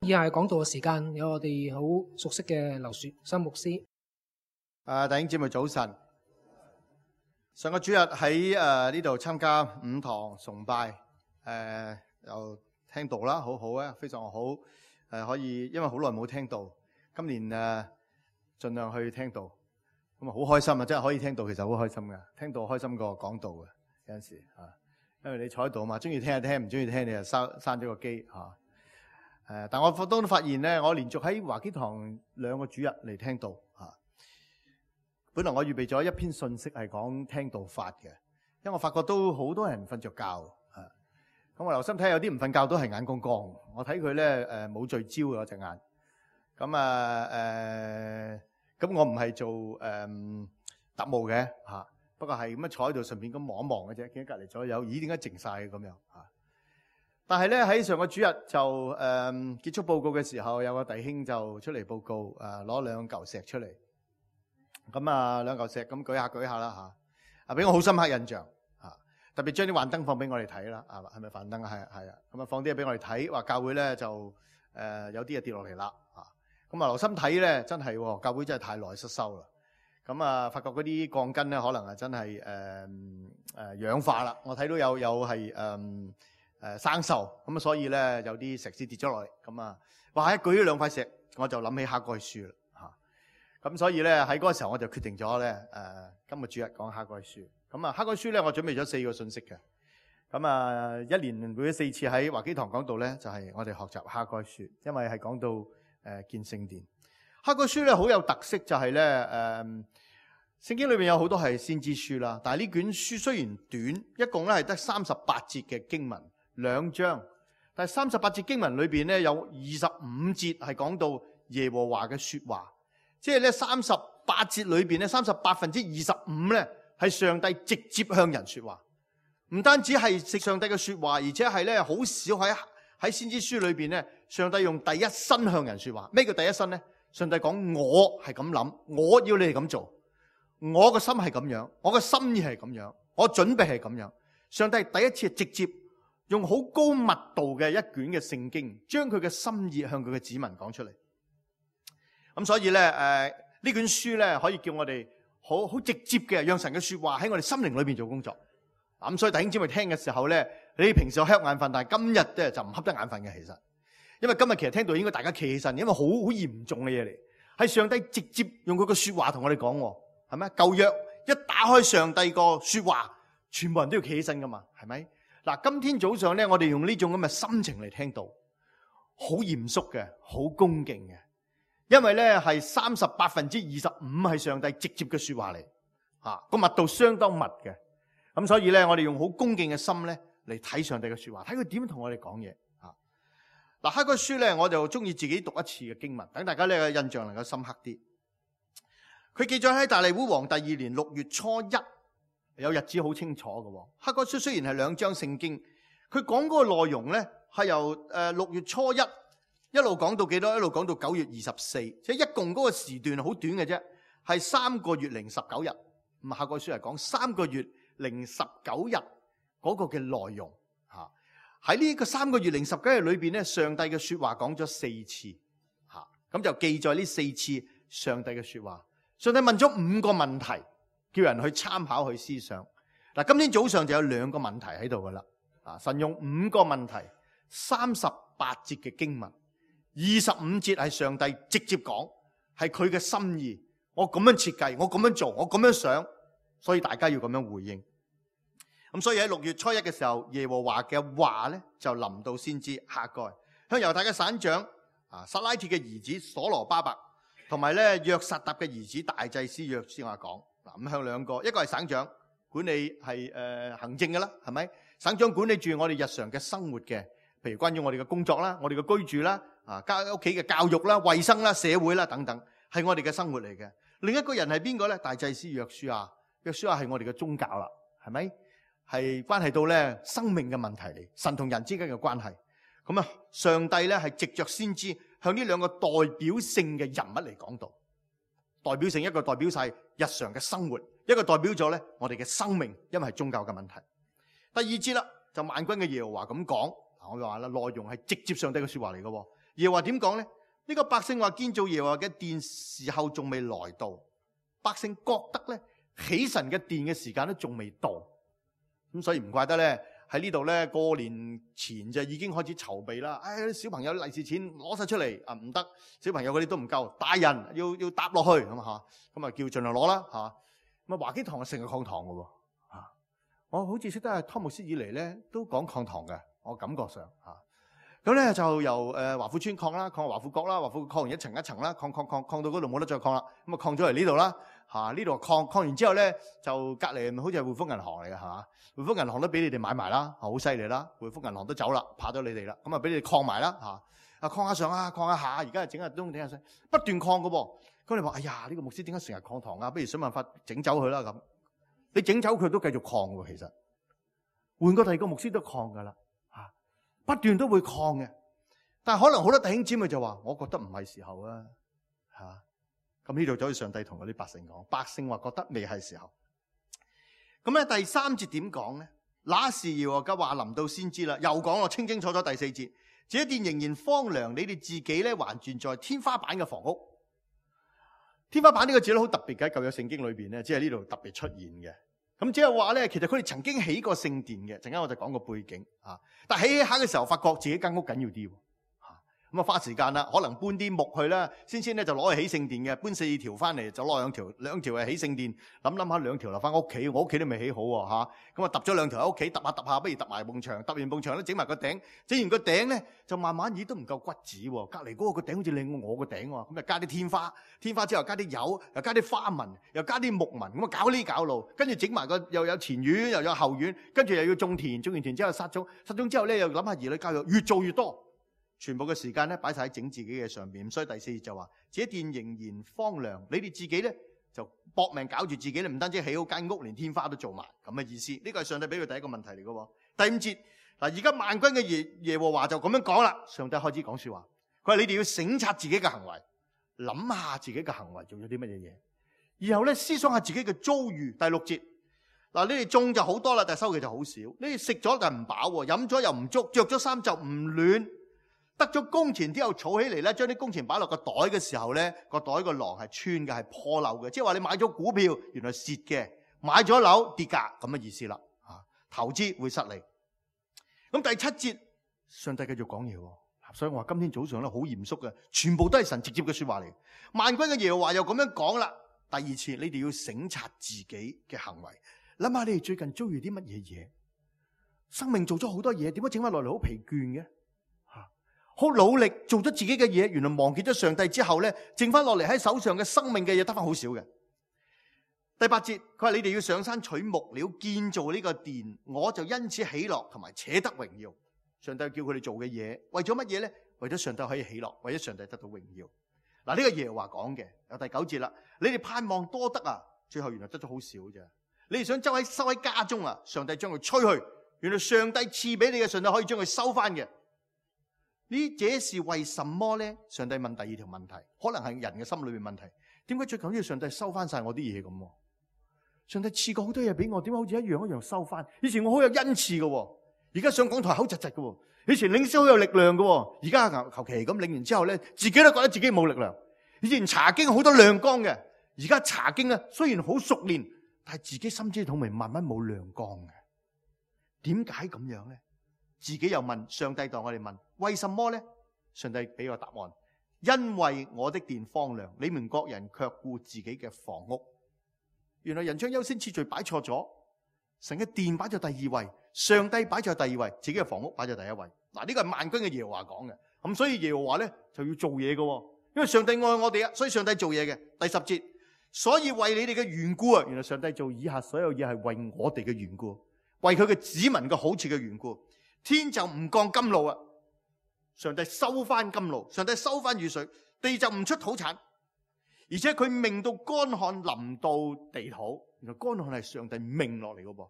以下係講道嘅時間，有我哋好熟悉嘅劉樹森牧師。弟兄姊妹早晨。上個主日喺呢度參加5堂崇拜，又聽道啦，好好啊，非常好。可以，因為好耐冇聽道，今年盡量去聽道，咁啊好開心啊！真係可以聽道，其實好開心噶，聽道開心過講道嘅有陣時啊，因為你坐喺度啊嘛，中意聽就聽，唔中意聽你就閂咗個機嚇。但我都發現咧，我連續喺華基堂2個主日嚟聽道嚇。本來我預備咗一篇信息係講聽道法嘅，因為我發覺都好多人瞓着覺嚇。咁我留心睇，有啲唔瞓覺都係眼光光。我睇佢咧冇聚焦嘅隻眼。咁我唔係做特務嘅嚇，不過係咁樣坐喺度順便咁望一望嘅啫。見到隔離左右，咦點解靜晒嘅咁樣嚇？但係咧喺上個主日就結束報告嘅時候，有個弟兄就出嚟報告，攞2嚿石出嚟。咁2嚿石咁舉下啦嚇，俾我好深刻印象嚇。特別將啲幻燈放俾我哋睇啦，係咪幻燈啊？係啊，咁放啲嘢俾我哋睇，話教會咧就有啲嘢跌落嚟啦嚇。咁留心睇咧，真係教會真係太耐失修啦。咁發覺嗰啲鋼筋咧可能係真係氧化啦。我睇到有係生鏽，咁所以咧有啲石屎跌咗落嚟。咁哇一舉咗2塊石，我就諗起哈該書啦嚇。咁所以咧喺嗰個時候我就決定咗咧今日主日講哈該書。咁哈該書咧我準備咗4個信息嘅。咁一年每4次喺華基堂講道咧，就係我哋學習哈該書，因為係講到建聖殿。哈該書咧好有特色，就係咧聖經裏邊有好多係先知書啦，但係呢卷書雖然短，一共咧係得38節嘅經文，2章，但係38節經文裏邊咧有25節係講到耶和華嘅說話，即係咧38節裏邊咧38%25%咧係上帝直接向人說話，唔單止係上帝嘅說話，而且係咧好少喺先知書裏邊咧，上帝用第一身向人說話。咩叫第一身咧？上帝講我係咁諗，我要你哋咁做，我個心係咁樣，我個心意係咁樣，我準備係咁樣。上帝第一次直接用好高密度嘅一卷嘅聖經，將佢嘅心意向佢嘅子民講出嚟。咁所以咧，呢卷書咧可以叫我哋好直接嘅，讓神嘅說話喺我哋心靈裏邊做工作。咁所以弟兄姊妹聽嘅時候咧，你平時有瞌眼瞓，但係今日咧就唔瞌得眼瞓嘅，其實。因為今日其實聽到應該大家企起身，因為好嚴重嘅嘢嚟，係上帝直接用佢個說話同我哋講，係咪？舊約一打開上帝個說話，全部人都要企起身噶嘛，係咪？嗱，今天早上咧，我哋用呢種咁嘅心情嚟聽到，好嚴肅嘅，好恭敬嘅，因為咧係38%25%係上帝直接嘅說話嚟，個密度相當密嘅，咁所以咧我哋用好恭敬嘅心咧嚟睇上帝嘅說話，睇佢點同我哋講嘢。嗱，哈該書咧，我就中意自己讀一次嘅經文，等大家咧印象能夠深刻啲。佢記載喺大利烏王第2年6月初1，有日子好清楚嘅。哈該書雖然係2章聖經，佢講嗰個內容咧係由6月初1一路講到幾多？一路講到9月24，即係一共嗰個時段好短嘅啫，係3個月零19日。咁哈該書係講3個月零19日嗰個嘅內容。喺呢個3個月零19日裏邊咧，上帝嘅說話講咗4次，咁就記載呢4次上帝嘅說話。上帝問咗5個問題，叫人去參考去思想。嗱，今天早上就有2個問題喺度噶啦。神用5個問題，38節嘅經文，25節係上帝直接講，係佢嘅心意。我咁樣設計，我咁樣做，我咁樣想，所以大家要咁樣回應。咁所以喺6月初1嘅時候，耶和華嘅話咧就臨到先知哈該，向猶太嘅省長撒拉鐵嘅兒子所羅巴伯，同埋咧約撒答嘅兒子大祭司約書亞講。咁向2個，一個係省長管理係行政嘅啦，係咪？省長管理住我哋日常嘅生活嘅，譬如關於我哋嘅工作啦、我哋嘅居住啦、屋企嘅教育啦、衛生啦、社會啦等等，係我哋嘅生活嚟嘅。另一個人係邊個咧？大祭司約書亞，約書亞係我哋嘅宗教啦，係咪？係關係到咧生命嘅問題嚟，神同人之間嘅關係。咁上帝咧係藉着先知向呢2個代表性嘅人物嚟講道。代表性，一個代表晒日常嘅生活，一個代表咗咧我哋嘅生命，因為係宗教嘅問題。第2節啦，就萬軍嘅耶和華咁講。我就話啦，內容係直接上帝嘅說話嚟嘅，耶和華點講咧？呢個百姓話建造耶和華嘅殿時候仲未來到，百姓覺得咧起神嘅殿嘅時間都仲未到，咁所以唔怪得咧喺呢度咧過年前就已經開始籌備啦。小朋友利是錢攞晒出嚟啊，唔得，小朋友嗰啲都唔夠，大人要搭落去咁嚇，咁啊叫盡量攞啦嚇。咁啊華基堂係成日抗堂嘅喎嚇，我好似識得湯牧師以嚟咧都講抗堂嘅，我感覺上嚇。咁咧就由華富村擴啦，擴華富閣啦，華富擴完一層一層啦，擴到嗰度冇得再擴啦，咁啊擴咗嚟呢度啦嚇，呢度擴完之後咧就隔離好似係匯豐銀行嚟嘅係嘛？匯豐銀行都俾你哋買埋啦，好犀利啦！匯豐銀行都走啦，怕咗你哋啦，咁啊俾你哋擴埋啦嚇，擴下上啊，擴下下，而家整下東整下西，不斷擴嘅噃。咁你話哎呀呢個牧師點解成日擴堂啊？不如想辦法整走佢啦咁。你整走佢都繼續擴喎，其實換個第二個牧師都擴㗎啦。不斷都會抗嘅，但係可能好多弟兄姊妹就話：我覺得唔係時候啊，嚇！咁呢度就好似上帝同嗰啲百姓講，百姓話覺得未係時候。咁咧第3節點講咧？那時耶和華嘅話臨到先知啦，又講我清清楚楚第4節，這殿仍然荒涼，你哋自己咧還住在天花板嘅房屋。天花板呢個字咧好特別嘅，舊約聖經裏邊咧，只係呢度特別出現嘅。咁即係話咧，其實佢哋曾經起過聖殿嘅，陣間我就講個背景啊。但係起下嘅時候，發覺自己間屋緊要啲，咁啊花時間啦，可能搬啲木去啦，先咧就攞去起聖殿嘅，搬4條翻嚟就攞兩條係起聖殿，諗下2條留翻屋企，我屋企都未起好喎嚇，咁啊揼咗2條喺屋企，揼下，不如揼埋埲牆，揼完埲牆咧整埋個頂，整完個頂咧就慢慢都唔夠骨子喎，隔離嗰個頂好似靚過我個頂喎，咁就加啲天花之後加啲油，又加啲花紋，又加啲木紋，咁啊搞呢搞路，跟住整埋個又有前院又有後院，跟住又要種田，種完田之後撒種之後咧又諗下兒女教育，越做越多。全部嘅時間咧擺晒喺整自己嘅上邊，所以第4節就話：這殿仍然荒涼，你哋自己咧就搏命搞住自己咧，唔單止起好間屋，連天花都做埋咁嘅意思。呢個係上帝俾佢第一個問題嚟嘅。第5節嗱，而家萬軍嘅耶和華就咁樣講啦。上帝開始講說話，佢話你哋要省察自己嘅行為，諗下自己嘅行為做咗啲乜嘢嘢，然後咧思想下自己嘅遭遇。第6節嗱，你哋種就好多啦，但係收嘅就好少。你哋食咗就唔飽，飲咗又唔足，着咗衫就唔暖。得咗工錢之後儲起嚟咧，將啲工錢擺落個袋嘅時候咧，個袋個囊係穿嘅，係破漏嘅，即係話你買咗股票原來蝕嘅，買咗樓跌價咁嘅意思啦。投資會失利。咁第7節上帝繼續講嘢，所以我話今天早上咧好嚴肅嘅，全部都係神直接嘅說話嚟。萬軍嘅耶和華又咁樣講啦。第2次你哋要省察自己嘅行為，諗下你哋最近遭遇啲乜嘢嘢，生命做咗好多嘢，點解整翻落嚟好疲倦嘅？好努力做咗自己嘅嘢，原來忘記咗上帝之後咧，剩翻落嚟喺手上嘅生命嘅嘢得翻好少嘅。第8節佢話你哋要上山取木料建造呢個殿，我就因此喜樂同埋且得榮耀。上帝叫佢哋做嘅嘢，為咗乜嘢咧？為咗上帝可以喜樂，為咗上帝得到榮耀。嗱，呢個耶和華講嘅有第9節啦。你哋盼望多得啊，最後原來得咗好少啫。你哋想收喺家中啊，上帝將佢吹去，原來上帝賜俾你嘅，上帝可以將佢收翻嘅。呢這是為什麼咧？上帝問第2條問題，可能係人嘅心裏面問題。點解最緊要上帝收翻晒我啲嘢咁？上帝賜過好多嘢俾我，點解好似一樣收翻？以前我好有恩賜嘅，而家上講台口窒窒嘅。以前領詩好有力量嘅，而家求其咁領完之後咧，自己都覺得自己冇力量。以前查經好多亮光嘅，而家查經咧雖然好熟練，但係自己心知肚明，慢慢冇亮光嘅。點解咁樣咧？自己又問上帝，當我哋問為什麼呢？上帝俾個答案，因為我的殿荒涼，你們各人卻顧自己嘅房屋。原來人將優先次序擺錯咗，神嘅殿擺在第2位，上帝擺在第2位，自己嘅房屋擺在第1位。嗱，呢個係萬軍嘅耶和華講嘅，咁所以耶和華咧就要做嘢嘅，因為上帝愛我哋啊，所以上帝做嘢嘅。第10節，所以為你哋嘅緣故啊，原來上帝做以下所有嘢係為我哋嘅緣故，為佢嘅子民嘅好處嘅緣故。天就唔降甘露啊！上帝收翻甘露，上帝收翻雨水，地就唔出土產，而且佢命到乾旱臨到地土。原來乾旱係上帝命落嚟嘅噃，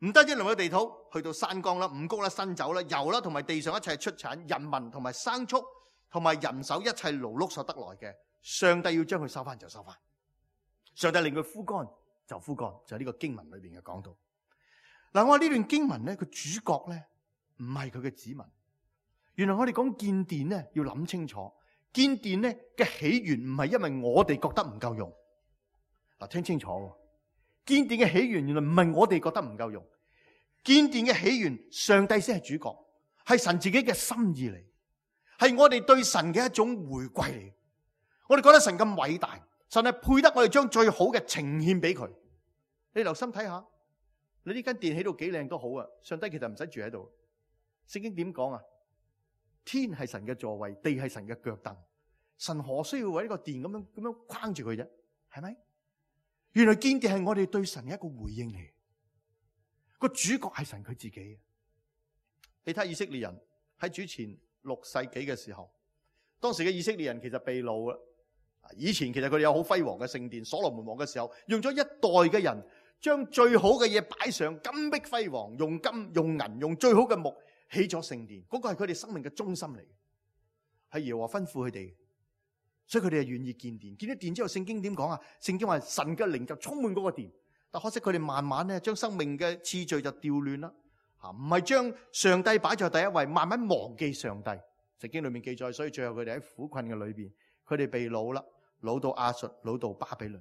唔單止臨到地土，去到山崗啦、五穀啦、新酒啦、油啦，同埋地上一切出產、人民同埋牲畜同埋人手一切勞碌所得來嘅，上帝要將佢收翻就收翻。上帝令佢枯乾就枯乾，就係呢個經文裏邊嘅講到。嗱，我話呢段經文咧，個主角咧，唔係佢嘅子民，原來我哋講建殿咧，要諗清楚，建殿咧嘅起源唔係因為我哋覺得唔夠用。嗱，聽清楚，建殿嘅起源原來唔係我哋覺得唔夠用，建殿嘅起源，上帝先係主角，係神自己嘅心意嚟，係我哋對神嘅一種回歸嚟。我哋覺得神咁偉大，神係配得我哋將最好嘅呈獻俾佢。你留心睇下，你呢間殿起到幾靚都好啊，上帝其實唔使住喺度。聖經點講啊？天係神嘅座位，地係神嘅腳凳，神何需要為呢個殿咁樣框住佢啫？係咪？原來建殿係我哋對神嘅一個回應嚟，個主角係神佢自己。你睇以色列人喺主前6世紀嘅時候，當時嘅以色列人其實被擄啦。以前其實佢哋有好輝煌嘅聖殿，所羅門王嘅時候用咗一代嘅人將最好嘅嘢擺上，金碧輝煌，用金用銀用最好嘅木起咗聖殿，嗰個係佢哋生命嘅中心嚟，係耶和華吩咐佢哋，所以佢哋係願意建殿。建咗殿之後，聖經點講啊？聖經話神嘅靈就充滿嗰個殿，但可惜佢哋慢慢咧將生命嘅次序就調亂啦，唔係將上帝擺在第一位，慢慢忘記上帝。聖經裏面記載，所以最後佢哋喺苦困嘅裏邊，佢哋被擄啦，擄到亞述，擄到巴比倫，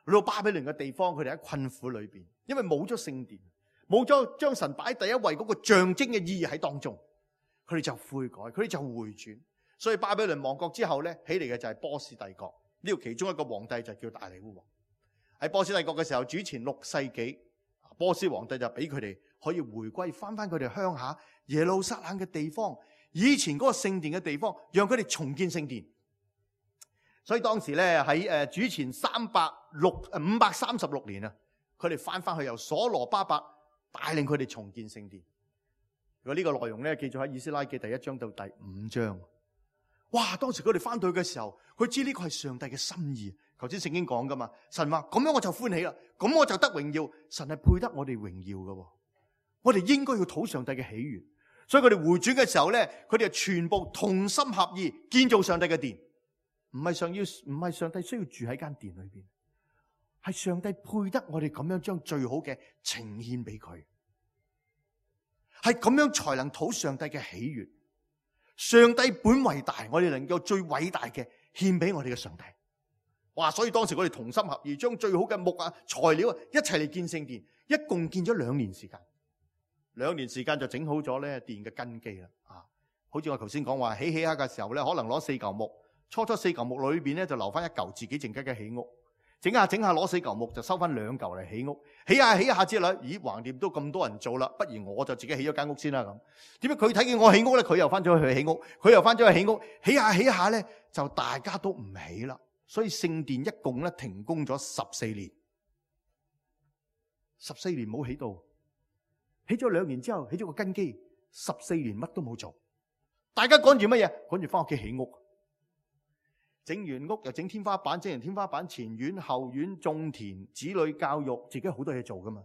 擄到巴比倫嘅地方，佢哋喺困苦裏邊，因為冇咗聖殿。冇咗將神擺第一位嗰個象徵嘅意義喺當中，佢哋就悔改，佢哋就回轉。所以巴比倫亡國之後咧，起嚟嘅就係波斯帝國。呢個其中一個皇帝就叫大利烏王。喺波斯帝國嘅時候，主前6世紀，波斯皇帝就俾佢哋可以回歸翻佢哋鄉下耶路撒冷嘅地方，以前嗰個聖殿嘅地方，讓佢哋重建聖殿。所以當時咧喺主前536年啊，佢哋翻去由所羅巴伯帶領佢哋重建聖殿。如果呢個內容咧，記載喺以斯拉記第1章到第5章。哇！當時佢哋翻到去嘅時候，佢知呢個係上帝嘅心意。頭先聖經講噶嘛，神話咁樣我就歡喜啦，咁我就得榮耀。神係配得我哋榮耀噶，我哋應該要討上帝嘅喜悅。所以佢哋回轉嘅時候咧，佢哋係全部同心合意建造上帝嘅殿。唔係上帝需要住喺間殿裏邊。係上帝配得我哋咁樣將最好嘅呈獻俾佢，係咁樣才能討上帝嘅喜悅。上帝本為大，我哋能夠最偉大嘅獻俾我哋嘅上帝。哇！所以當時我哋同心合意，將最好嘅木啊、材料啊一齊嚟建聖殿，一共建咗2年時間。2年時間就整好咗咧殿嘅根基啦。好似我頭先講話起下嘅時候咧，可能攞4嚿木，初4嚿木裏邊咧就留翻1嚿自己靜雞嘅起屋。整下攞4嚿木就收翻2嚿嚟起屋，起下之後，咦，橫掂都咁多人做啦，不如我就自己起咗間屋先啦咁。點解佢睇見我起屋咧，佢又翻咗去起屋，佢又翻咗去起屋，起下咧就大家都唔起啦。所以聖殿一共咧停工咗14年，14年冇起到，起咗2年之後起咗個根基，14年乜都冇做，大家趕住乜嘢？趕住翻屋企起屋。整完屋又整天花板，整完天花板前院後院種田，子女教育，自己好多嘢做噶嘛。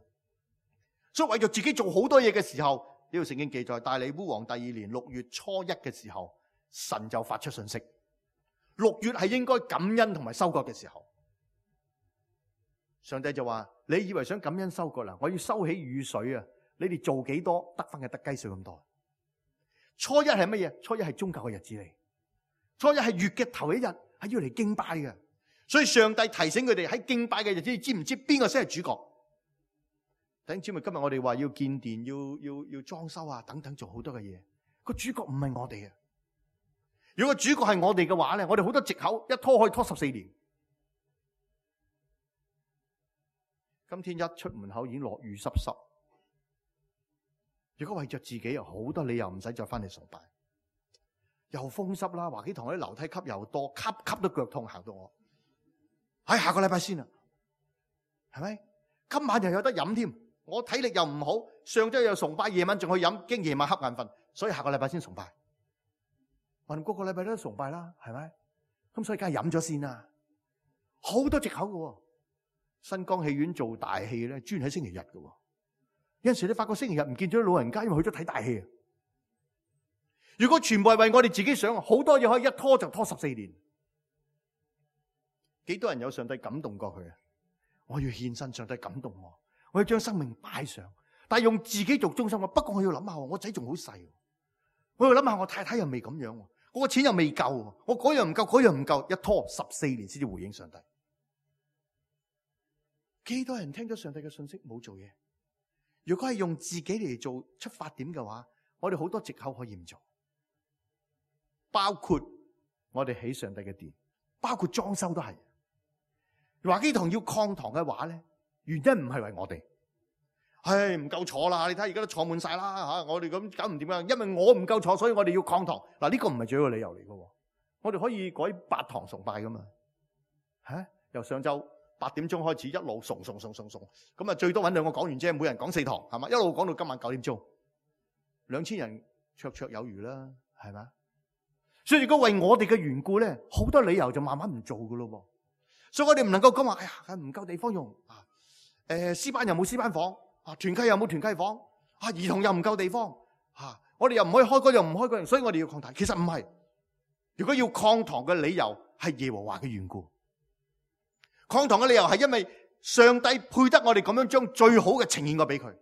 所以為咗自己做好多嘢嘅時候，呢個聖經記載大利烏王第2年6月初1嘅時候，神就發出信息。6月係應該感恩同埋收割嘅時候，上帝就話：你以為想感恩收割啦？我要收起雨水啊！你哋做幾多得翻嘅得雞碎咁多。初1係乜嘢？初1係宗教嘅日子嚟，初1係月嘅頭一日。係要嚟敬拜嘅，所以上帝提醒佢哋喺敬拜嘅日子，你知唔知邊個先係主角？弟兄姊妹，今日我哋話要建殿，要裝修啊，等等，做好多嘅嘢。個主角唔係我哋啊！如果個主角係我哋嘅話咧，我哋好多藉口，一拖可以拖14年。今天一出門口已經落雨濕濕。如果為着自己，有好多理由唔使再翻嚟崇拜。又風濕啦，華基堂啲樓梯級又多，級都腳痛，行到我。下個禮拜先啦，係咪？今晚又有得飲添，我體力又唔好，上週又崇拜，夜晚仲去飲，驚夜晚瞌眼瞓，所以下個禮拜先崇拜。我哋個個禮拜都崇拜啦，係咪？咁所以梗係飲咗先啦。好多藉口嘅，新光戲院做大戲咧，專喺星期日嘅。有陣時你發覺星期日唔見咗老人家，因為去咗睇大戲。如果全部係為我哋自己想，好多嘢可以一拖就拖14年。幾多人有上帝感動過佢啊？我要獻身，上帝感動我要將生命擺上，但係用自己做中心。不過我要諗下，我仔仲好細，我要諗下，我太太又未咁樣，我個錢又未夠，我嗰樣唔夠，嗰樣唔夠，一拖14年先至回應上帝。幾多人聽咗上帝嘅信息冇做嘢？如果係用自己嚟做出發點嘅話，我哋好多藉口可以唔做，包括我哋起上帝嘅殿，包括裝修都係。華基堂要擴堂嘅話咧，原因唔係為我哋，唔夠坐啦！你睇而家都坐滿晒啦吓，我哋咁搞唔掂啊！因為我唔夠坐，所以我哋要擴堂。嗱，呢個唔係最好嘅理由嚟嘅，我哋可以改8堂崇拜噶嘛？由上晝8點鐘開始，一路送，咁啊最多搵2個講員啫，每人講4堂，係嘛？一路講到今晚9點鐘，2000人綽綽有餘啦，係嘛？所以如果為我哋嘅緣故咧，好多理由就慢慢唔做噶咯。所以我哋唔能夠講話，哎呀，唔夠地方用啊！詩班又冇詩班房啊，團契又冇團契房啊，兒童又唔夠地方啊，我哋又唔可以開嗰樣唔開嗰樣，所以我哋要擴堂。其實唔係，如果要擴堂嘅理由係耶和華嘅緣故。擴堂嘅理由係因為上帝配得我哋咁樣將最好嘅呈現過俾佢，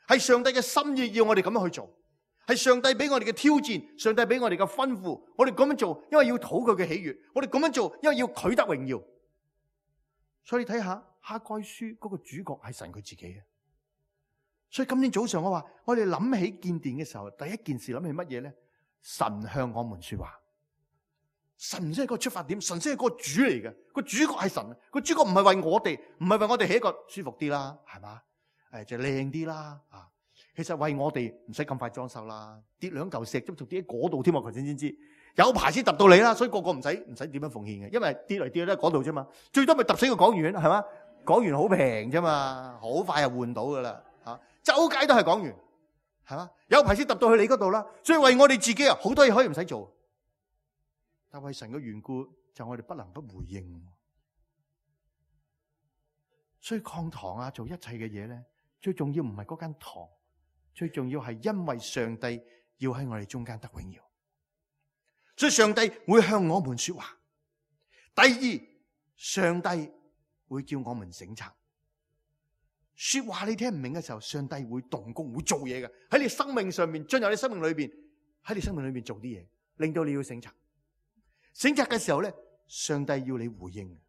係上帝嘅心意要我哋咁樣去做，係上帝俾我哋嘅挑戰，上帝俾我哋嘅吩咐，我哋咁樣做，因為要討佢嘅喜悅，我哋咁樣做，因為要佢得榮耀。所以睇下哈該書嗰個主角係神佢自己嘅。所以今天早上我話，我哋諗起建殿嘅時候，第一件事諗起乜嘢咧？神向我們說話。神先係個出發點，神先係個主嚟嘅，個主角係神，個主角唔係為我哋，唔係為我哋起一個舒服啲啦，係嘛？就靚啲啦啊！其實為我哋唔使咁快裝修啦，跌2嚿石都仲跌喺嗰度添啊！頭先知，有排先揼到你啦，所以個個唔使點樣奉獻嘅，因為跌嚟跌去都喺嗰度啫嘛，最多咪揼死個講員係嘛？講員好平啫嘛，好快就換到噶啦嚇，周街都係講員係嘛？有排先揼到去你嗰度啦，所以為我哋自己啊，好多嘢可以唔使做。但為神嘅緣故，就我哋不能不回應。所以擴堂啊，做一切嘅嘢咧，最重要唔係嗰間堂，最重要係因為上帝要喺我哋中間得榮耀。所以上帝會向我們說話。第二，上帝會叫我們省察。說話你聽唔明嘅時候，上帝會動工，會做嘢嘅，喺你生命上面，進入你生命裏邊，喺你生命裏邊做啲嘢，令到你要省察。省察嘅時候咧，上帝要你回應。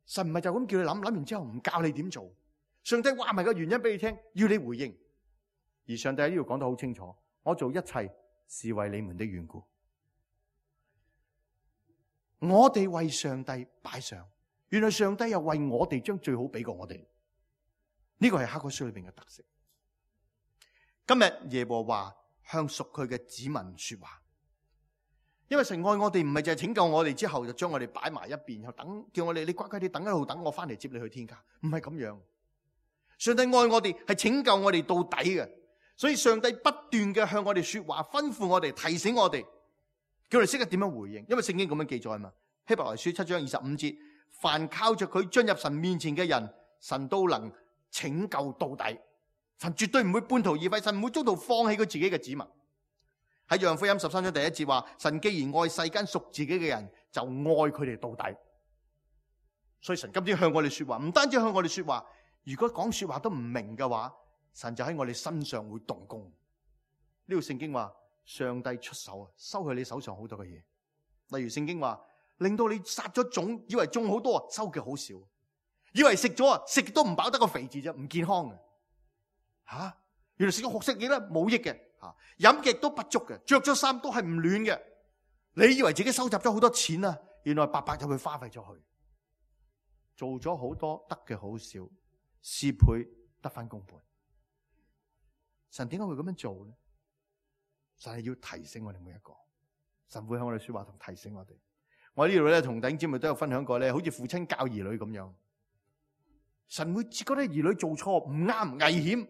神唔係就咁叫你諗完之後唔教你點做。上帝話埋個原因俾你聽，要你回應。而上帝喺呢度講得好清楚，我做一切是為你們的緣故。我哋為上帝擺上，原來上帝又為我哋將最好俾過我哋。呢個係哈該書裏邊嘅特色。今日耶和華向屬佢嘅子民說話。因為神愛我哋，唔係淨係拯救我哋之後就將我哋擺埋一邊，然後等叫我哋你乖乖哋等一路等我翻嚟接你去天家，唔係咁樣。上帝愛我哋係拯救我哋到底嘅，所以上帝不斷嘅向我哋說話，吩咐我哋，提醒我哋，叫我哋識得點樣回應。因為聖經咁樣記載嘛，希伯來書7章25節，凡靠着佢進入神面前嘅人，神都能拯救到底。神絕對唔會半途而廢，神唔會中途放棄佢自己嘅子民。喺約翰福音13章第1節話，神既然愛世間屬自己嘅人，就愛佢哋到底。所以神今天向我哋說話，唔單止向我哋說話，如果講說話都唔明嘅話，神就喺我哋身上會動工。呢度聖經話，上帝出手啊，收去你手上好多嘅嘢。例如聖經話，令到你撒咗種，以為種好多，收嘅好少；以為食咗啊，食都唔飽得個肥字啫，唔健康嘅。吓，原來食咗學食嘢咧冇益嘅。飲極都不足嘅，着咗衫都係唔暖嘅。你以為自己收集咗好多錢啊，原來白白就會花費咗去，做咗好多得嘅好少，事倍得翻功倍。神點解會咁樣做咧？神係要提醒我哋每一個，神會向我哋說話同提醒我哋。我喺呢度咧同弟兄姊妹都有分享過咧，好似父親教兒女咁樣，神會覺得兒女做錯唔啱危險。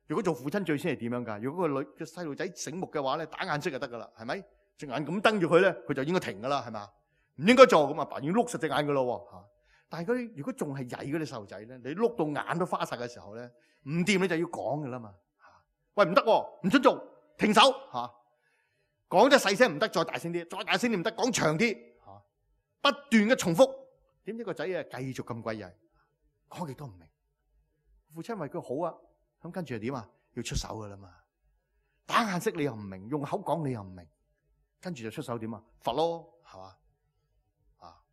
如果做父親最先係點樣噶？如果個細路仔醒目嘅話咧，打眼色就得噶啦，係咪？隻眼咁瞪住佢咧，佢就應該停噶啦，係嘛？唔應該做咁啊，爸已經碌實隻眼噶咯吓。但係如果仲係曳嗰啲細路仔咧，你碌到眼都花晒嘅時候咧，唔掂你就要講噶啦嘛。喂，唔得，唔准做，停手吓。講得細聲唔得，再大聲啲，再大聲啲唔得，講長啲吓，不斷嘅重複。點知個仔啊繼續咁鬼曳，講極都唔明。父親為佢好啊。咁跟住係點啊？要出手噶啦嘛！打眼色你又唔明，用口講你又唔明，跟住就出手點啊？罰咯，係嘛？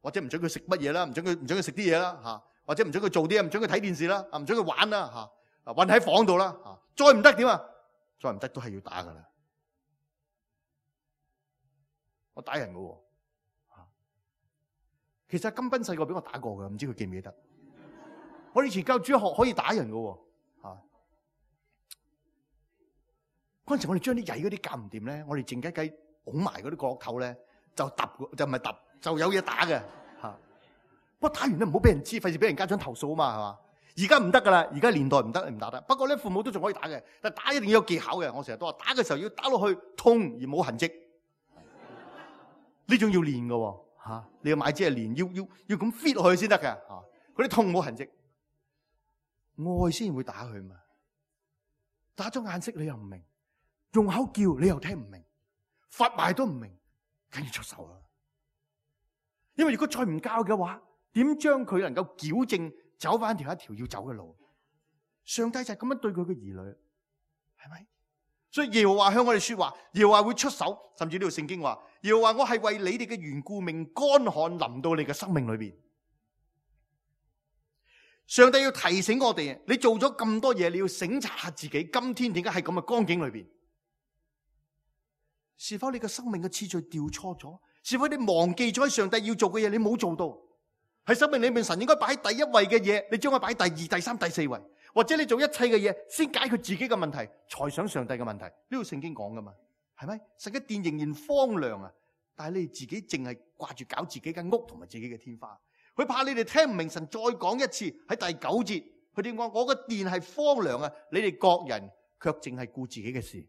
或者唔准佢食乜嘢啦，唔准佢食啲嘢啦，或者唔准佢做啲嘢，唔准佢睇電視啦，唔准佢玩啦，韞喺房度啦，再唔得點啊？再唔得都係要打噶啦。我打人噶喎，其實金斌細個俾我打過噶，唔知佢記唔記得？我以前教主學可以打人噶喎，嗰陣時我哋將啲曳嗰啲教唔掂咧，我哋靜雞雞拱埋嗰啲角落頭咧，就揼，就唔係揼，就有嘢打嘅嚇。不過打完咧唔好俾人知，費事俾人家長投訴啊嘛，係嘛？而家唔得噶啦，而家年代唔得，唔打得。不過咧，父母都仲可以打嘅，但係打一定要有技巧嘅。我成日都話，打嘅時候要打落去痛而冇痕跡，呢種要練嘅喎。你要買支嚟練，要咁 fit 落去先得嘅嚇。嗰啲痛冇痕跡，愛先會打佢嘛。打咗眼色你又唔明，用口叫你又聽唔明，罰埋都唔明，梗要出手啦。因為如果再唔教嘅話，點將佢能夠矯正走翻一條要走嘅路？上帝就係咁樣對佢嘅兒女，係咪？所以耶和華向我哋說話，耶和華會出手，甚至呢度聖經話，耶和華我係為你哋嘅緣故，命乾旱臨到你嘅生命裏邊。上帝要提醒我哋，你做咗咁多嘢，你要省察下自己，今天點解喺咁嘅光景裏邊？是否你嘅生命嘅次序調錯咗？是否你忘記咗上帝要做嘅嘢，你冇做到？喺生命裏面，神應該擺喺第一位嘅嘢，你將佢擺第二、第三、第四位，或者你做一切嘅嘢，先解決自己嘅問題，才想上帝嘅問題。呢度聖經講噶嘛，係咪？神嘅殿仍然荒涼啊，但係你哋自己淨係掛住搞自己間屋同埋自己嘅天花。佢怕你哋聽唔明，神再講一次喺第9節，佢點講？我個殿係荒涼啊，你哋各人卻淨係顧自己嘅事。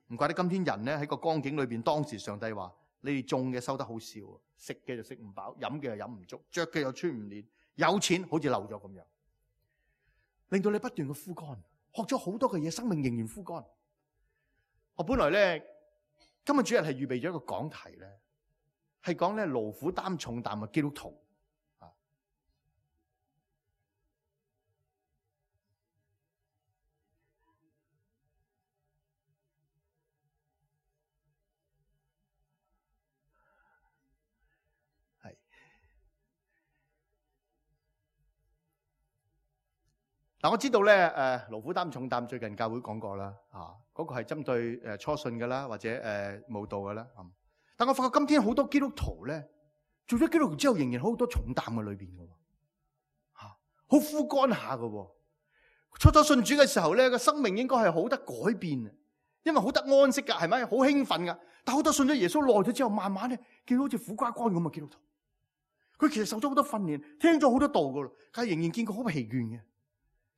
唔怪得今天人咧喺個光景裏邊，當時上帝話：你哋種嘅收得好少，食嘅就食唔飽，飲嘅又飲唔足，着嘅又穿唔暖，有錢好似漏咗咁樣，令到你不斷嘅枯乾，學咗好多嘅嘢，生命仍然枯乾。我本來咧今日主日係預備咗一個講題咧，係講咧勞苦擔重擔嘅基督徒啊。係嗱，我知道咧勞苦擔重擔最近教會講過啦，嗰個係針對初信嘅啦，或者慕道嘅啦。但我發覺今天好多基督徒咧，做咗基督徒之後，仍然好多重擔嘅裏邊嘅，好枯乾下嘅。初初信主嘅時候咧，個生命應該係好得改變，因為好得安息噶，係咪？好興奮噶。但好多信咗耶穌耐咗之後，慢慢咧見到好似苦瓜乾咁嘅基督徒，佢其實受咗好多訓練，聽咗好多道噶啦，但係仍然見佢好疲倦嘅，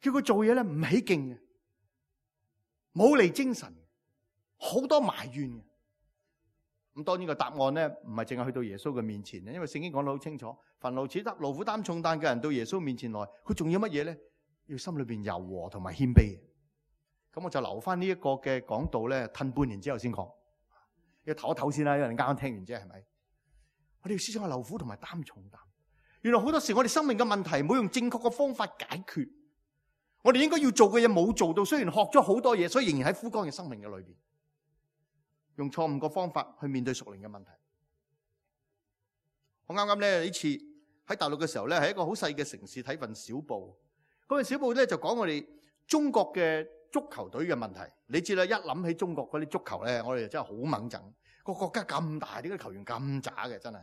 叫佢做嘢咧唔起勁嘅，冇嚟精神，好多埋怨嘅。咁當然個答案咧，唔係淨係去到耶穌嘅面前咧，因為聖經講得好清楚，凡勞苦擔重擔嘅人到耶穌面前來，佢仲要乜嘢咧？要心裏邊柔和同埋謙卑。咁我就留翻呢一個嘅講道咧，褪半年之後先講，要唞一唞先啦，因為你啱啱聽完啫，係咪？我哋要思想下勞苦同埋擔重擔。原來好多時我哋生命嘅問題冇用正確嘅方法解決，我哋應該要做嘅嘢冇做到，雖然學咗好多嘢，所以仍然喺枯乾嘅生命嘅裏邊。用錯誤個方法去面對屬靈嘅問題。我啱啱咧呢次喺大陸嘅時候咧，喺一個好細嘅城市睇份小報。嗰份小報咧就講我哋中國嘅足球隊嘅問題。你知啦，一諗起中國嗰啲足球咧，我哋真係好猛憎。個國家咁大，點解球員咁渣嘅？真係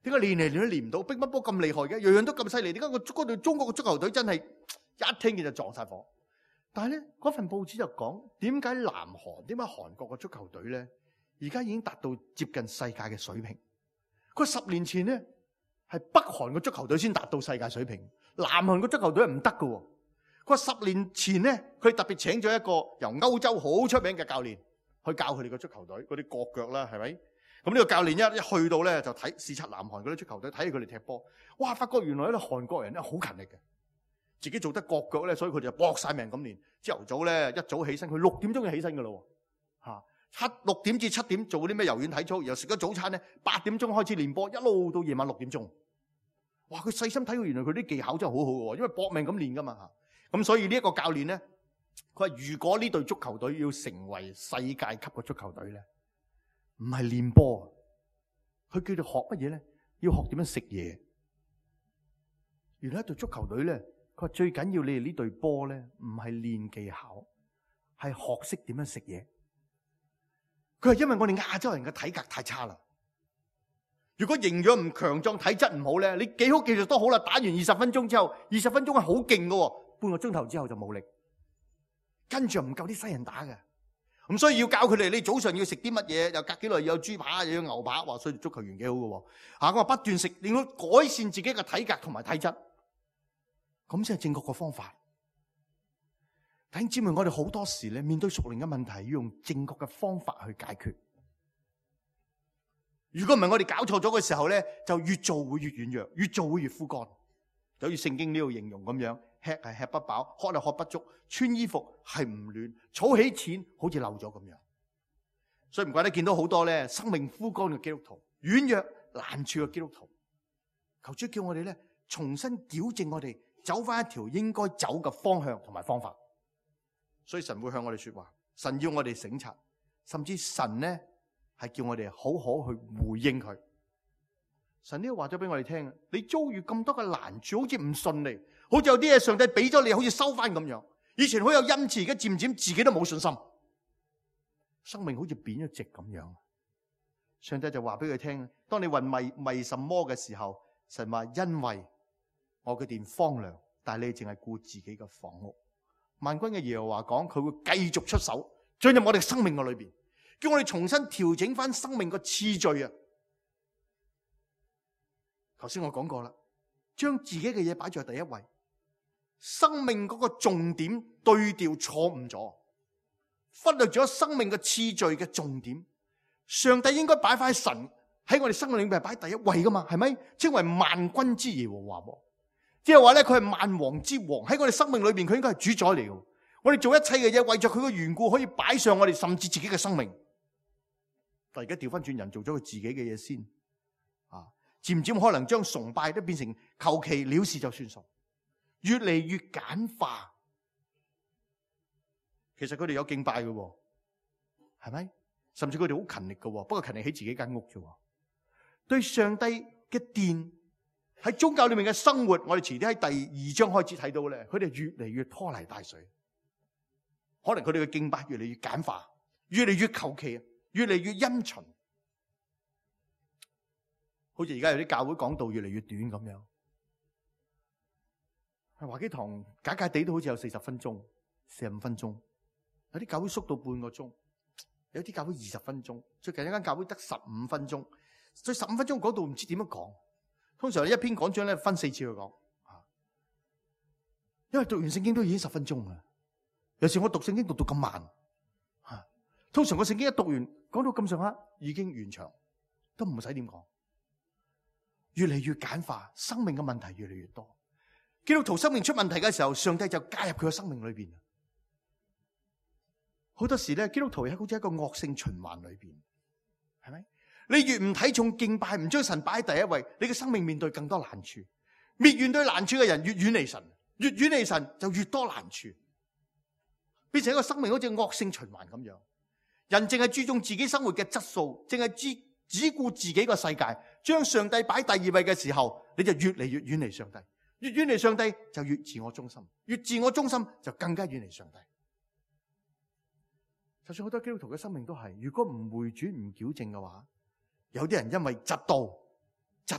點解練嚟練都練唔到？乒乓波咁厲害嘅，樣樣都咁犀利。點解嗰隊中國嘅足球隊真係一聽見就撞晒火？但係咧，嗰份報紙就講點解南韓、點解韓國嘅足球隊咧，而家已經達到接近世界嘅水平。佢10年前咧係北韓嘅足球隊先達到世界水平，南韓嘅足球隊係唔得㗎。佢話10年前咧，佢特別請咗一個由歐洲好出名嘅教練去教佢哋嘅足球隊嗰啲國腳啦，係咪？咁呢個教練一去到咧就視察南韓嗰啲足球隊，睇佢哋踢波。哇！發覺原來咧韓國人咧好勤力嘅。自己做得國腳咧，所以佢哋就搏晒命咁練。朝頭早咧一早起身，佢6點鐘就起身噶咯，嚇6點至7點做啲咩柔軟體操，然後食咗早餐咧8點鐘開始練波，一路到夜晚6點鐘。哇！佢細心睇到原來佢啲技巧真係好好嘅，因為搏命咁練噶嘛嚇。咁所以呢一個教練咧佢話如果呢隊足球隊要成為世界級嘅足球隊咧，唔係練波，佢叫做學乜嘢咧？要學點樣食嘢。原來一隊足球隊咧，佢話最緊要你哋呢隊波咧，唔係練技巧，係學識點樣食嘢。佢係因為我哋亞洲人嘅體格太差啦。如果營養唔強壯，體質唔好咧，你幾好技術都好啦，打完20分鐘之後，20分鐘係好勁嘅，半個鐘頭之後就冇力，跟住唔夠啲西人打嘅。咁所以要教佢哋，你早上要食啲乜嘢，又隔幾耐要有豬扒，又要牛扒，話所以足球員幾好嘅。我話不斷食，令到改善自己嘅體格同埋體質，咁先係正確嘅方法。弟兄姊妹，我哋好多時咧面對屬靈嘅問題，要用正確嘅方法去解決。如果唔係我哋搞錯咗嘅時候咧，就越做會越軟弱，越做會越枯乾。就好似聖經呢度形容咁樣，吃係吃不飽，喝係喝不足，穿衣服係唔暖，儲起錢好似漏咗咁樣。所以唔怪得見到好多咧生命枯乾嘅基督徒，軟弱難處嘅基督徒。求主叫我哋咧重新矯正我哋，走翻一條應該走嘅方向同埋方法。所以神會向我哋說話，神要我哋省察，甚至神咧係叫我哋好好去回應佢。神呢個話咗俾我哋聽，你遭遇咁多嘅難處，好似唔順利，好似有啲嘢上帝俾咗你，好似收翻咁樣。以前好有恩賜，而家漸漸自己都冇信心，生命好似扁咗直咁樣。上帝就話俾佢聽，當你問為什麼嘅時候，神話因為我嘅殿荒涼，但係你淨係顧自己嘅房屋。萬軍嘅耶和華講，佢會繼續出手進入我哋生命嘅裏邊，叫我哋重新調整翻生命嘅次序啊！頭先我講過啦，將自己嘅嘢擺在第一位，生命嗰個重點對調錯誤咗，忽略咗生命嘅次序嘅重點。上帝應該擺翻神喺我哋生命裏面擺第一位噶嘛，係咪？稱為萬軍之耶和華，即係話咧，佢係萬王之王，喺我哋生命裏邊，佢應該係主宰嚟嘅。我哋做一切嘅嘢，為咗佢嘅緣故，可以擺上我哋甚至自己嘅生命。但而家調翻轉，人做咗佢自己嘅嘢先，漸漸可能將崇拜都變成求其了事就算數，越嚟越簡化。其實佢哋有敬拜嘅，係咪？甚至佢哋好勤力嘅，不過勤力喺自己間屋啫。對上帝嘅殿喺宗教裏面嘅生活，我哋遲啲喺第2章開始睇到咧，佢哋越嚟越拖泥帶水。可能佢哋嘅敬拜越嚟越簡化，越嚟越求其，越嚟越陰循。好似而家有啲教會講道越嚟越短咁樣，華基堂假假地都好似有40分鐘、45分鐘，有啲教會縮到半個鐘，有啲教會20分鐘，最近一間教會得15分鐘，所以15分鐘講道唔知點樣講。通常一篇講章咧分4次去講，因為讀完聖經都已經10分鐘啦。有時我讀聖經讀到咁慢，通常個聖經一讀完講到咁上下已經完場，都唔使點講。越嚟越簡化，生命嘅問題越嚟越多。基督徒生命出問題嘅時候，上帝就加入佢嘅生命裏邊。好多時咧，基督徒係好似一個惡性循環裏邊，係咪？你越唔睇重敬拜，唔將神擺喺第一位，你嘅生命面對更多難處。越面對難處嘅人，越遠離神，越遠離神就越多難處，變成一個生命好似惡性循環咁樣。人淨係注重自己生活嘅質素，淨係只顧自己個世界，將上帝擺第2位嘅時候，你就越嚟越遠離上帝。越遠離上帝就越自我中心，越自我中心就更加遠離上帝。就算好多基督徒嘅生命都係，如果唔回轉唔矯正嘅話，有啲人因為嫉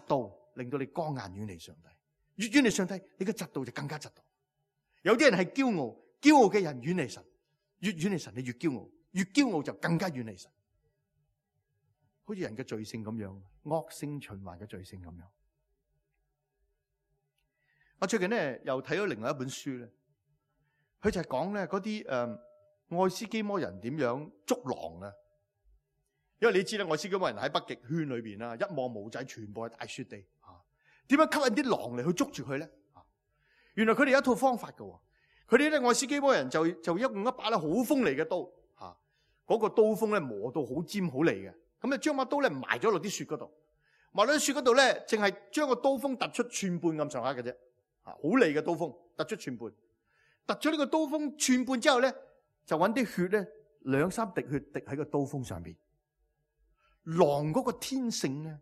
妒令到你剛硬遠離上帝。越遠離上帝，你嘅嫉妒就更加嫉妒。有啲人係驕傲嘅人遠離神，越遠離神你越驕傲，越驕傲就更加遠離神。好似人嘅罪性咁樣，惡性循環嘅罪性咁樣。我最近咧又睇咗另外一本書咧，佢就係講咧嗰啲愛斯基摩人點樣捉狼啊。因為你知啦，愛斯基摩人喺北極圈裏邊啦，一望無際，全部係大雪地啊。點樣吸引啲狼嚟去捉住佢咧？原來佢哋有一套方法㗎。佢哋咧愛斯基摩人就用一把咧好鋒利嘅刀，嗰個刀鋒咧磨到好尖好利嘅。咁啊，將把刀咧埋咗落啲雪嗰度，埋落啲雪嗰度咧，淨係將個刀鋒突出寸半咁上下嘅啫，好利嘅刀鋒突出寸半。突咗呢個刀鋒寸半之後咧，就揾啲血咧2-3滴血滴喺個刀鋒上邊。狼嗰個天性咧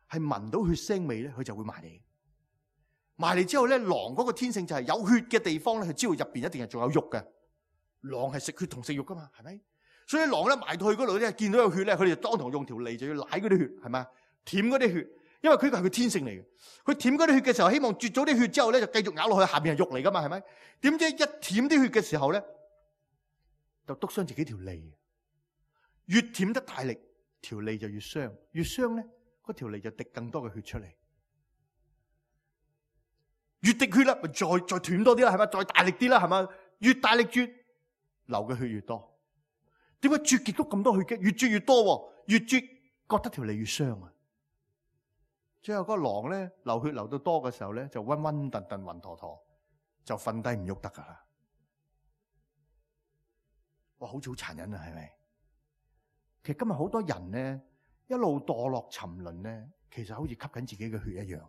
係聞到血腥味咧，佢就會埋嚟。埋嚟之後咧，狼嗰個天性就係有血嘅地方咧，佢知道入邊一定係仲有肉嘅。狼係食血同食肉噶嘛，係咪？所以狼咧埋到去嗰度咧，見到有血咧，佢哋就當堂用條脷就要舐嗰啲血，係咪？舔嗰啲血，因為佢係佢天性嚟嘅。佢舔嗰啲血嘅時候，希望啜咗啲血之後咧，就繼續咬落去，下邊係肉嚟噶嘛，係咪？點知一舔啲血嘅時候咧，就篤傷自己條脷。越舔得大力，條脷就越傷，越傷咧，嗰條脷就滴更多嘅血出嚟。越滴血啦，咪再斷多啲啦，係咪？再大力啲啦，係咪？越大力啜，流嘅血越多。點解啜極都咁多血嘅？越啜越多，越啜覺得條脷越傷啊！最後嗰個狼咧流血流到多嘅時候咧，就暈暈沌沌、暈陀陀，就瞓低唔喐得噶啦。哇，好似好殘忍啊，係咪？其實今日好多人咧一路墮落沉淪咧，其實好似吸緊自己嘅血一樣。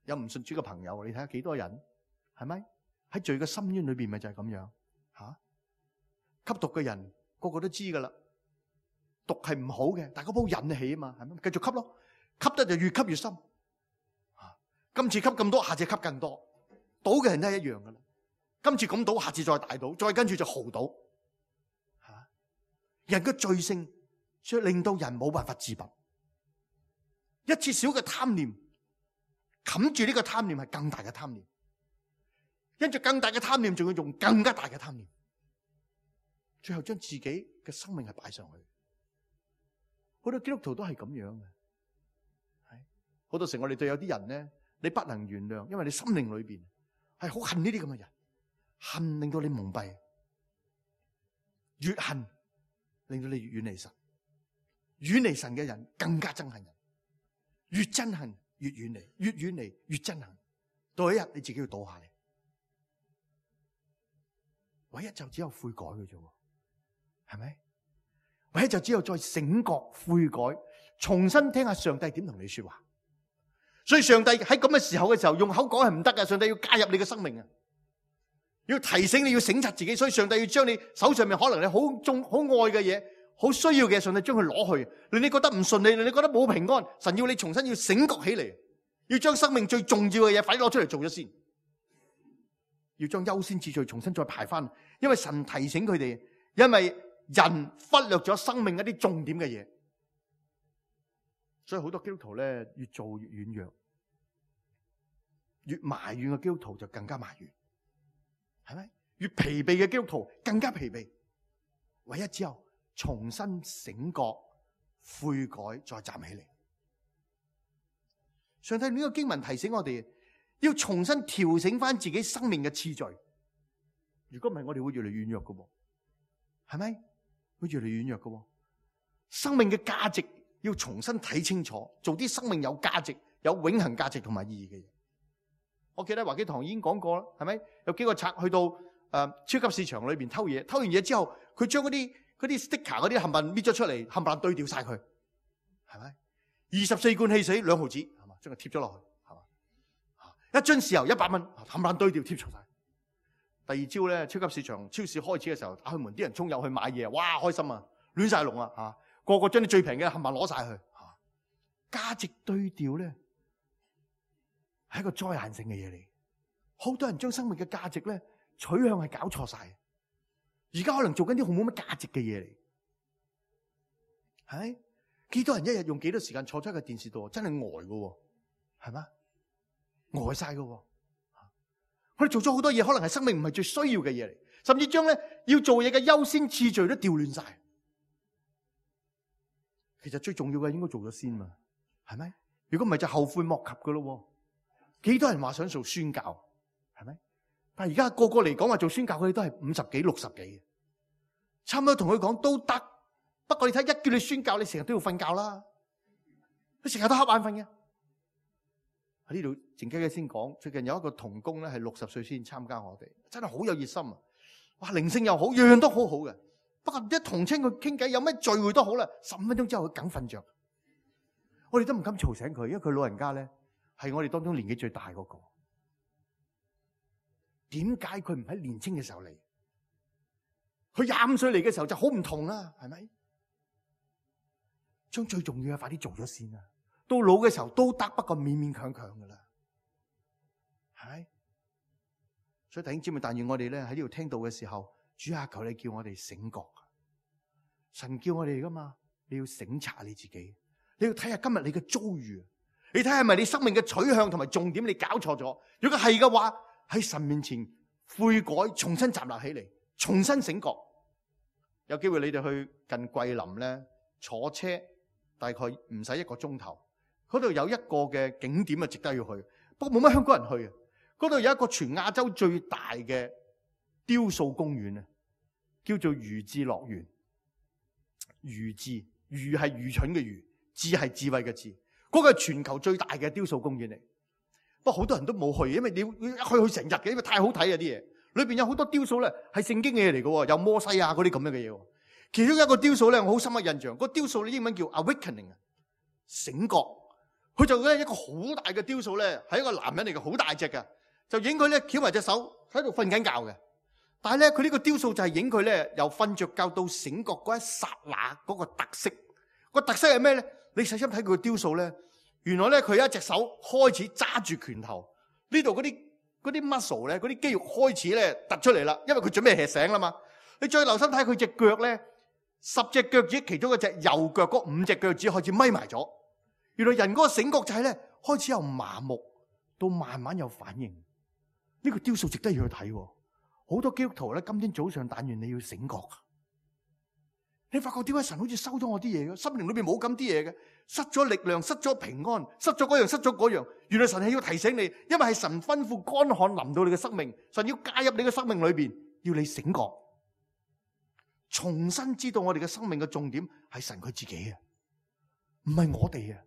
有唔信主嘅朋友，你睇下幾多人係咪喺罪嘅深淵裏邊，咪就係咁樣吓？吸毒嘅人個個都知噶啦，毒係唔好嘅，但係嗰煲引起啊嘛，係咪？繼續吸咯，吸得就越吸越深。今次吸咁多，下次吸更多。賭嘅人都係一樣噶啦，今次咁賭，下次再大賭，再跟住就豪賭。人嘅罪性，所以令到人冇辦法自拔。一次小嘅貪念，冚住呢個貪念係更大嘅貪念，因住更大嘅貪念，仲要用更加大嘅貪念。最後將自己嘅生命係擺上去，好多基督徒都係咁樣嘅。好多時我哋對有啲人咧，你不能原諒，因為你心靈裏邊係好恨呢啲咁嘅人，恨令到你蒙蔽，越恨令到你越遠離神，遠離神嘅人更加憎恨人，越憎恨越遠離，越遠離越憎恨，到一日你自己要倒下嚟，唯一就只有悔改嘅啫。係咪？或者就只有再醒覺悔改，重新聽下上帝點同你說話。所以上帝喺咁嘅時候用口講係唔得嘅，上帝要介入你嘅生命啊，要提醒你要省察自己。所以上帝要將你手上面可能你好重好愛嘅嘢，好需要嘅，上帝將佢攞去，令你覺得唔順利，令你覺得冇平安。神要你重新要醒覺起嚟，要將生命最重要嘅嘢快啲攞出嚟做咗先，要將優先次序重新再排翻。因為神提醒佢哋，因為人忽略咗生命一啲重點嘅嘢，所以好多基督徒咧越做越軟弱，越埋怨嘅基督徒就更加埋怨，係咪？越疲憊嘅基督徒更加疲憊，唯一只有重新醒覺、悔改，再站起嚟。上帝呢個經文提醒我哋，要重新調整翻自己生命嘅次序。如果唔係，我哋會越嚟越軟弱嘅，係咪？會越嚟越軟弱嘅，生命嘅價值要重新睇清楚，做啲生命有價值、有永恆價值同埋意義嘅嘢。我記得華基堂已經講過啦，係咪？有幾個賊去到超級市場裏邊偷嘢，偷完嘢之後，佢將嗰啲 sticker 嗰啲冚唪唥搣咗出嚟，冚唪唥對掉晒佢，係咪？24罐汽水2毫子，係嘛？將佢貼咗落去，係嘛？一樽豉油100蚊，冚唪唥對掉貼錯晒。第二朝咧，超級市場超市開始嘅時候，打開門，啲人衝入去買嘢，哇，開心啊，亂晒龍啊，吓，個個將啲最平嘅冚唪唥攞晒去，價值對調咧係一個災難性嘅嘢嚟。好多人將生命嘅價值咧取向係搞錯晒，而家可能做緊啲好冇乜價值嘅嘢嚟，係咪？幾多人一日用幾多時間坐喺個電視度，真係呆噶，係嘛？呆晒噶。我哋做咗好多嘢，可能係生命唔係最需要嘅嘢嚟，甚至將咧要做嘢嘅優先次序都調亂晒。其實最重要嘅應該做咗先嘛，係咪？如果唔係就後悔莫及噶咯。幾多人話想做宣教，係咪？但係而家個個嚟講話做宣教，佢哋都係50幾、60幾，差唔多同佢講都得。不過你睇，一叫你宣教，你成日都要瞓覺啦，你成日都瞌眼瞓嘅。喺呢度靜雞雞先講，最近有一個同工咧係60歲先參加我哋，真係好有熱心啊！哇，靈性又好，樣樣都好好嘅。不過一同親佢傾偈，有咩聚會都好啦，15分鐘之後佢梗瞓着。我哋都唔敢嘈醒佢，因為佢老人家咧係我哋當中年紀最大嗰個。點解佢唔喺年青嘅時候嚟？佢25歲嚟嘅時候就好唔同啦，係咪？將最重要嘅快啲做咗先啊！到老嘅時候都得，不過勉勉強強噶啦，係咪？所以弟兄姊妹，但願我哋咧喺呢度聽到嘅時候，主啊，求你叫我哋醒覺。神叫我哋噶嘛，你要省察你自己，你要睇下今日你嘅遭遇，你睇下係咪你生命嘅取向同埋重點你搞錯咗？如果係嘅話，喺神面前悔改，重新站立起嚟，重新醒覺。有機會你哋去近桂林咧，坐車大概唔使1個鐘頭，嗰度有一個嘅景點啊，值得要去。不過冇乜香港人去啊。嗰度有一個全亞洲最大嘅雕塑公園啊，叫做愚智樂園。愚智，愚係愚蠢嘅愚，智係智慧嘅智。嗰個係全球最大嘅雕塑公園嚟。不過好多人都冇去，因為你去成日嘅，因為太好睇啊啲嘢。裏邊有好多雕塑咧，係聖經嘅嘢嚟嘅，有摩西啊嗰啲咁樣嘅嘢。其中一個雕塑咧，我好深刻印象。個雕塑咧英文叫 Awakening 啊，醒覺。佢就咧一個好大嘅雕塑咧，係一個男人嚟嘅，好大隻嘅，就影佢咧翹埋隻手喺度瞓緊覺嘅。但係咧佢呢個雕塑就係影佢咧由瞓着覺到醒覺嗰一剎那嗰個特色。個特色係咩咧？你細心睇佢個雕塑咧，原來咧佢有一隻手開始揸住拳頭，呢度嗰啲 muscle 咧，嗰啲肌肉開始咧突出嚟啦，因為佢準備吃醒啦嘛。你再留心睇佢隻腳咧，10隻腳趾其中一隻右腳嗰5隻腳趾開始咪埋咗。原來人嗰個醒覺就係咧開始由麻木到慢慢有反應。呢個雕塑值得要去睇。好多基督徒咧，今天早上但願你要醒覺。你發覺點解神好似收咗我啲嘢嘅？心靈裏邊冇咁啲嘢嘅，失咗力量，失咗平安，失咗嗰樣，失咗嗰樣。原來神係要提醒你，因為係神吩咐乾旱臨到你嘅生命，神要介入你嘅生命裏邊，要你醒覺，重新知道我哋嘅生命嘅重點係神佢自己啊，唔係我哋啊，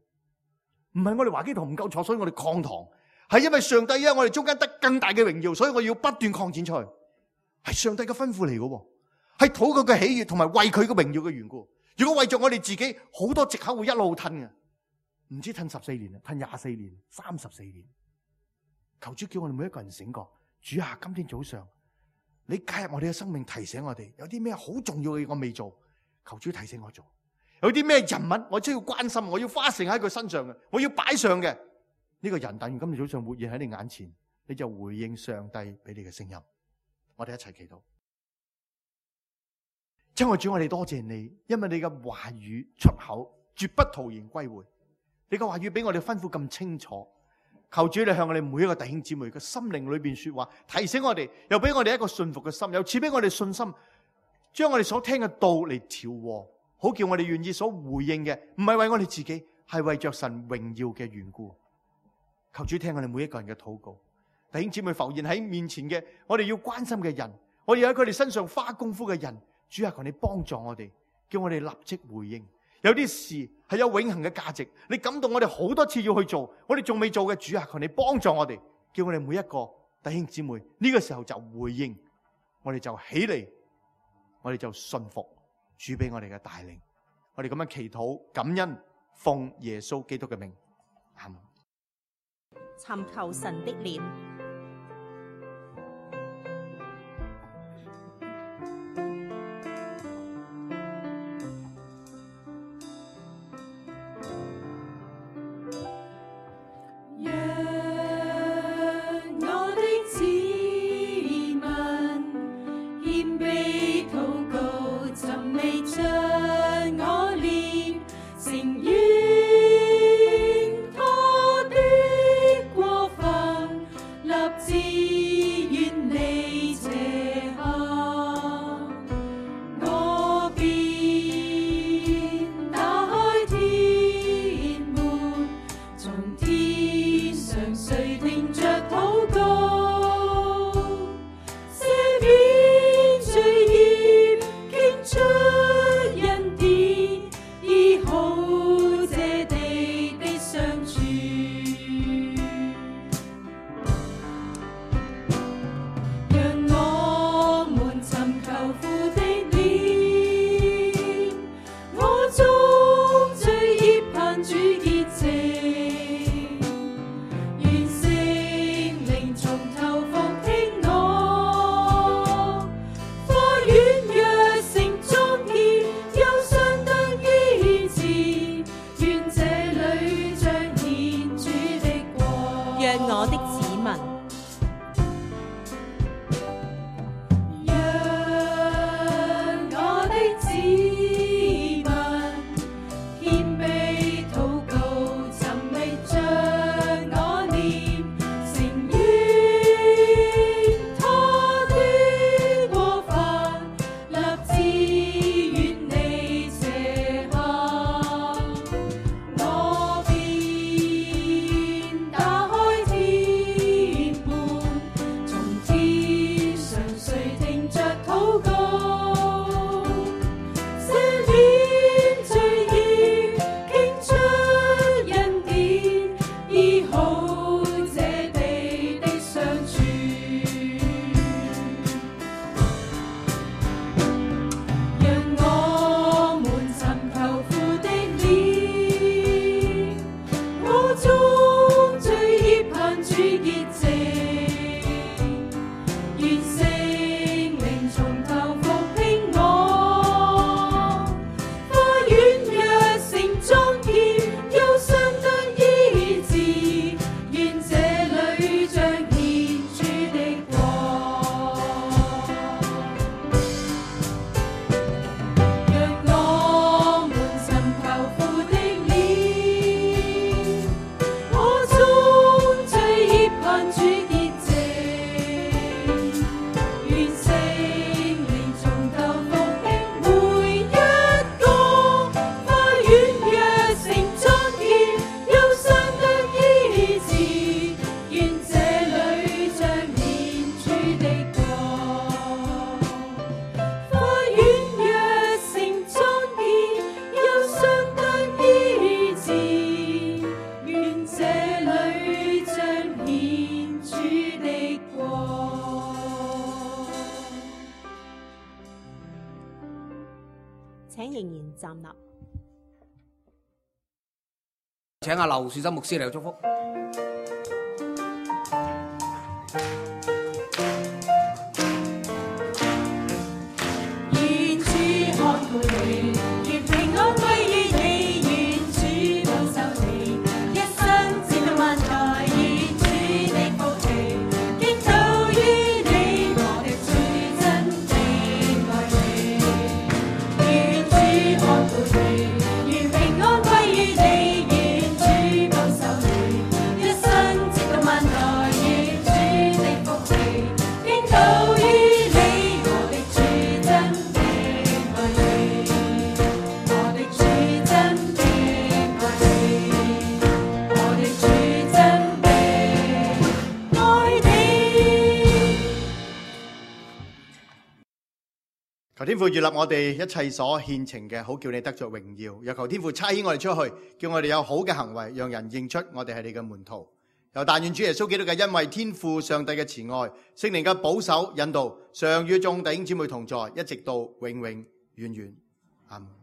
唔係我哋華基堂唔夠坐，所以我哋擴堂，係因為上帝喺我哋中間得更大嘅榮耀，所以我要不斷擴展出去，係上帝嘅吩咐嚟嘅。係討佢嘅喜悅同埋為佢嘅榮耀嘅緣故。如果為咗我哋自己，好多藉口會一路褪嘅，唔知褪14年啊，褪24年、34年。求主叫我哋每一個人醒覺。主啊，今天早上你介入我哋嘅生命，提醒我哋有啲咩好重要嘅嘢我未做，求主提醒我做。有啲咩人物我需要關心，我要花成喺佢身上嘅，我要擺上嘅呢個人，但願今天早上活現喺你眼前，你就回應上帝俾你嘅聲音。我哋一齊祈禱。親愛主，我哋多謝你，因為你嘅話語出口絕不徒然歸回。你嘅話語俾我哋吩咐咁清楚，求主你向我哋每一個弟兄姊妹嘅心靈裏邊說話，提醒我哋，又俾我哋一個信服嘅心，又賜俾我哋信心，將我哋所聽嘅道嚟調和，好叫我哋願意所回應嘅，唔係為我哋自己，係為着神榮耀嘅緣故。求主聽我哋每一個人嘅禱告，弟兄姊妹浮現喺面前嘅，我哋要關心嘅人，我哋喺佢哋身上花功夫嘅人。主啊，求你幫助我哋，叫我哋立即回應。有啲事係有永恆嘅價值，你感動我哋好多次要去做，我哋仲未做嘅，主啊，求你幫助我哋，叫我哋每一個弟兄姊妹呢個時候就回應，我哋就起嚟，我哋就信服主俾我哋嘅帶領。我哋咁樣祈禱感恩，奉耶穌基督嘅名，阿們。尋求神的臉。來站立。請阿劉樹森牧師嚟祝福。願主看顧你，願平安歸於你，願主保守你，一生直到萬代，願主的福氣傾倒於你，我的主真的愛你。願主看顧你，願平安歸於你，願主保守你，一生直到萬代，願主的福氣傾倒於你，我的主真的愛你，我的主真的愛你，我的主真的愛你。求天父悅納我哋一切所獻呈嘅，好叫你得着榮耀。又求天父差遣我哋出去，叫我哋有好嘅行為，讓人認出我哋係你嘅門徒。又但願主耶穌基督嘅恩惠、天父上帝嘅慈愛、聖靈嘅保守引導，常與眾弟兄姊妹同在，一直到永永遠遠。阿門。